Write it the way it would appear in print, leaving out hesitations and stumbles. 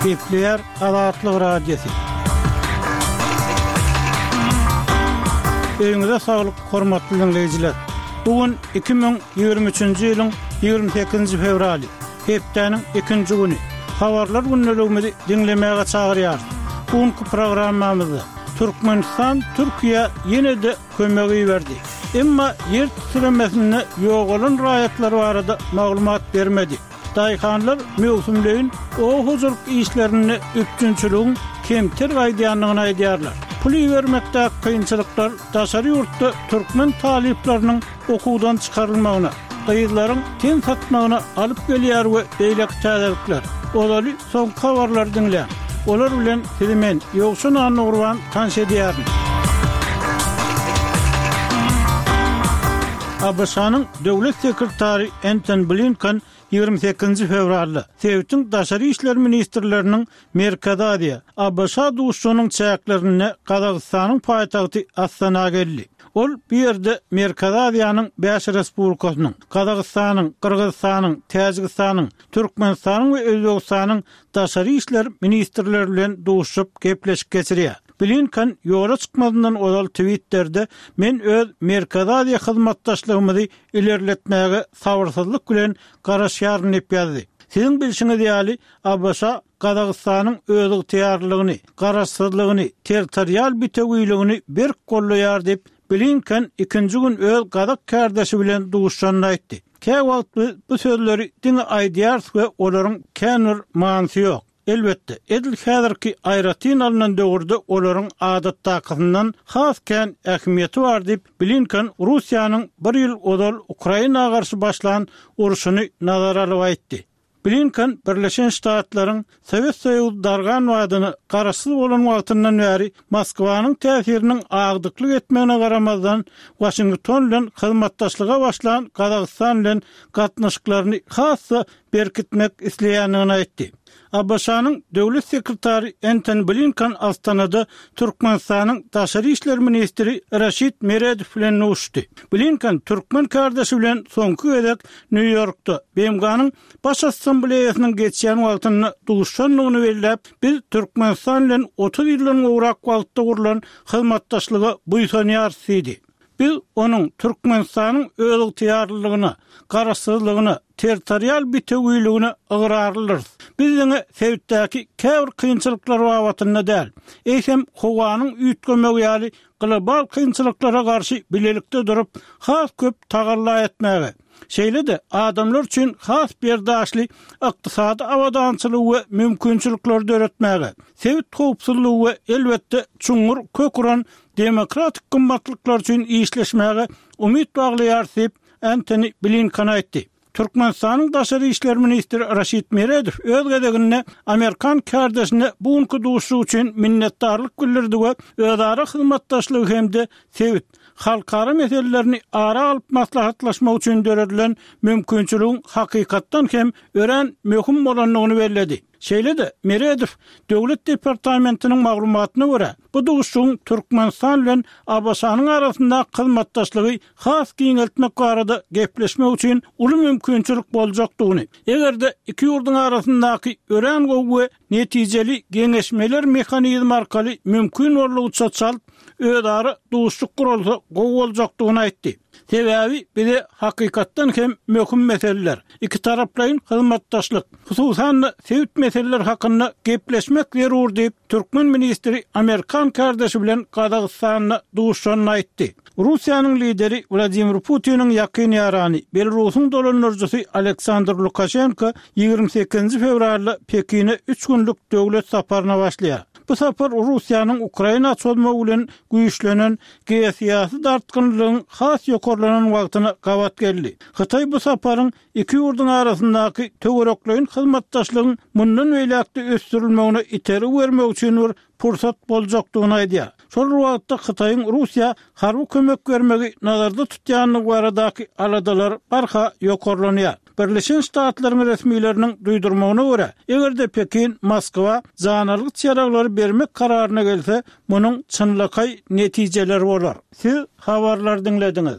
Gepleýär Azatlyk Radiosy. Öýüňize saglyk, hormatly diňleýjiler! Bu gün 2023-nji ýylyň 28-nji fewraly, hepdäniň ikinji güni. Habarlar gündeligimizi diňlemäge çagyrýarys. Bu günki programmamyzda Türkmenistan Türkiýä ýene-de kömek iberdi. Emma ýer titremesinde ýogalan raýatlar barada maglumat bermedi. Daýhanlar möwsümleýin oba hojalyk işlerinde üpjünçiligiň kemter gaýdýandygyny aýdýarlar. Pul ibermekdäki kynçylyklar daşary ýurtda türkmen talyplarynyň okuwdan çykarylmagyna, gyzlaryň ten satmagyna alyp gelýär we beýleki täzelikler. Ozaly soňky habarlary diňläň. Olar bilen sizi men, Ýowşan Annagurban tanyş edýärin. ABŞ-nyň Döwlet sekretary Entoni Blinken 28-nji fewralda sebitiň daşary işler ministrleriniň Merkezi Aziýa, ABŞ duşuşygynyň çäklerinde Gazagystanyň paýtagty Astana geldi. Ol bu ýerde Merkezi Aziýanyň bäş respublikasynyň, Gazagystanyň, Gyrgyzystanyň, Täjigistanyň, Türkmenistanyň we Özbegistanyň daşary işler ministrleri bilen duşuşyp gepleşik geçirýär. Blinken ýola çykmazyndan ozal Twitterde Men öz Merkezi Aziýa hyzmatdaşlygymyzy ilerletmäge sabyrsyzlyk bilen garaşýaryn diýip ýazdy. Siziň bilşiňiz ýaly, ABŞ Gazagystanyň özygtyýarlylygyny, garaşsyzlygyny, territorial bitewiligini berk goldaýar diýip, Blinken ikinji gün öz gazak kärdeşi bilen duşuşanda aýtdy. Käwagt biz bu sözleri diňe aýdýarys we olaryň kän bir manysy ýok. Elbetde, edil häzirki aýratyn alnan döwürde olaryň adatdakysyndan has kän ähmiýeti bar diýip, Blinken Russiýanyň bir ýyl ozal Ukraina garşy başlan urşuny nazara alyp aýtdy. Blinken Birleşen Ştatlaryň Sowet Soýuzy dargan badyna garaşsyz bolan wagtyndan bäri Moskwanyň täsiriniň agdyklyk etmegine garamazdan, Waşington bilen hyzmatdaşlyga başlan Gazagystan bilen gatnaşyklaryny has-da berkitmek isleýändigini aýtdy. ABŞ-nyň Döwlet sekretary Entoni Blinken Astanada Türkmenistanyň daşary işler ministri Raşid Meredow bilen duşuşdy. Blinken türkmen kärdeşi bilen soňky gezek Nýu-Ýorkda, BMG-niň Baş Assambleýasynyň geçýän wagtynda duşuşandygyny belläp, Biz Türkmenistan bilen 30 ýyldan gowrak wagtda gurlan hyzmatdaşlyga buýsanýarys diýdi. Biz onuň Türkmenistanyň özygtyýarlylygyna, garaşsyzlygyna, territorial bitewiligine ygrarlydyrys. Biz diňe sebitdäki käbir kynçylyklar babatynda däl, eýsem howanyň üýtgemegi ýaly global kynçylyklara garşy bilelikde durup, has köp tagalla etmäge, şeýle-de adamlar üçin has berdaşly ykdysady abadançylygy we mümkinçilikleri döretmäge, sebit howpsuzlygy we elbetde çuňňur kök uran demokratik gymmatlyklar üçin işleşmäge umyt baglaýarys diýip, Entoni Blinken aýtdy. Türkmenistanyň daşary işler ministri Raşid Meredow öz gezeginde amerikan kärdeşine bu günki duşuşyk üçin minnetdarlyk bildirdi we özara hyzmatdaşlygy hem-de sebit, halkara meselelerini ara alyp maslahatlaşmak üçin döredilen mümkinçiligiň hakykatdan hem örän möhüm bolandygyny belledi. Şeýle-de, Meredow Döwlet departamentiniň maglumatyna görä, bu duşuşygyň Türkmenistan bilen ABŞ-nyň arasyndaky hyzmatdaşlygy has giňeltmek barada gepleşmek üçin uly mümkinçilik boljakdygyny, eger-de iki ýurduň arasyndaky örän gowy we netijeli geňeşmeler mehanizmi arkaly mümkin boldugyça çalt özara duşuşyk guralsa gowy boljakdygyny aýtdy. Sebäbi bize hakykatdan hem möhüm meseleler, ikitaraplaýyn hyzmatdaşlyk, hususan-da sebit meseleleri hakynda gepleşmek zerur diýip, türkmen ministri amerikan kärdeşi bilen Gazagystanda duşuşanyny aýtdy. Russiýanyň lideri Wladimir Putiniň ýakyn ýarany, Belarusyň dolandyryjysy Aleksandr Lukaşenko 28-nji fewralda Pekine üç günlük döwlet saparyna başlaýar. Bu sapar Russiýanyň Ukraina çozmagy bilen güýçlenen geosyýasy dartgynlylygyň has ýokarlanan wagtyna gabat geldi. Hytaý bu saparyň iki ýurduň arasyndaky töwerekleýin hyzmatdaşlygyň mundan beýläk-de ösdürilmegine itergi bermek üçin bir pursat boljakdygyny aýdýar. Şol bir wagtda Hytaýyň Russiýa harby kömek bermegi nazarda tutýandygy baradaky aladalar barha ýokarlanýar. Birleşen Ştatlaryň resmileriniň duýdurmagyna görä, eger-de Pekin Moskwa janalgyç ýaraglary bermek kararyna gelse, munuň çynlakaý netijeleri bolar. Siz habarlary diňlediňiz.